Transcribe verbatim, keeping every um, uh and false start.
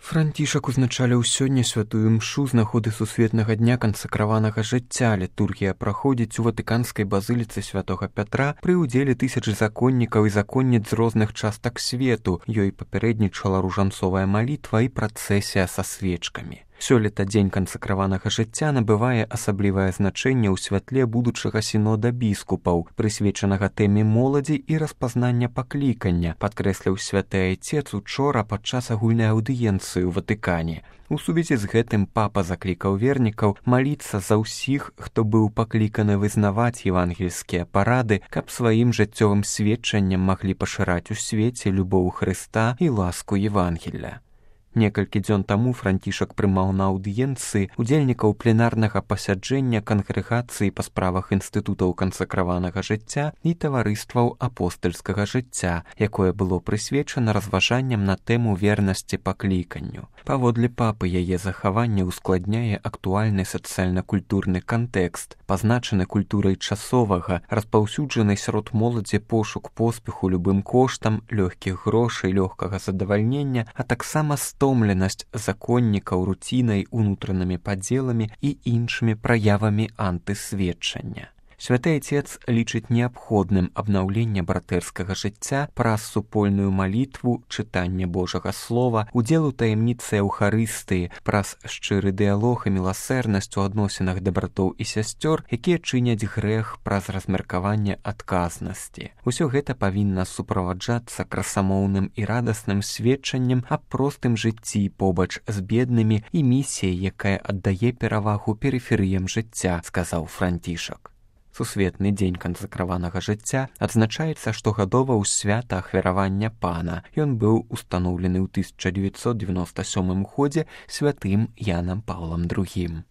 Францішак узначаліў сёння святую мшу з нагоды сусветнага дня кансакраванага жыцця. Літургія праходзіць у ватыканскай базыліцы святога Пятра пры ўдзеле тысяч законнікаў і законніц з розных частак свету. Ёй папярэднічала ружанцовая малітва і працэсія са свечкамі. Сёлета дзень кансакраванага жыцця набывае асаблівае значэнне ў святле будучага сінода біскупаў, прысвечанага тэме моладзі і распазнання паклікання, падкрэсліў святы айцец учора падчас агульнай аўдыенцыі ў Ватыкане. У сувязі з гэтым папа заклікаў вернікаў маліцца за ўсіх, хто быў пакліканы вызнаваць евангельскія парады, каб сваім жыццёвым сведчаннем маглі пашыраць у свеце любоў Хрыста і ласку Евангелля. Некалькі дзён таму Францішак прымаў на аўдыенцыі удзельнікаў пленарнага пасяджэння кангрэгацыі па справах інстытутаў кансакраванага жыцця і таварыстваў апостальскага жыцця, якое было прысвечана разважанням на тэму вернасці пакліканню. Паводле папы, яе захаванне ускладняе актуальны сацыяльна-культурны кантэкст, пазначаны культурай часовага, распаўсюджаны сярод моладзі пошук поспеху любым коштам, лёгкіх грошай, лёгкага задавальнення, а таксама стомленасць законнікаў руцінай, унутранымі падзеламі і іншымі праявамі антысведчання. Святы айцец лічыць неабходным абнаўленне братэрскага жыцця праз супольную малітву, чытанне Божага слова, удзел у таямніцы Еўхарыстыі, праз шчыры дыялог і міласэрнасць у адносінах да братоў і сясцёр, якія чыняць грэх праз размеркаванне адказнасці. Усё гэта павінна суправаджацца красамоўным і радасным сведчаннем аб простым жыцці побач з беднымі і місіяй, якая аддае перавагу перыферыям жыцця, сказаў Францішак. Сусветны дзень кансакраванага жыцця адзначаецца штогадова ў свята ахвяравання пана. Ён быў устаноўлены ў тысяча дзевяцьсот дзевяноста сёмым годзе святым Янам Паўлам другім.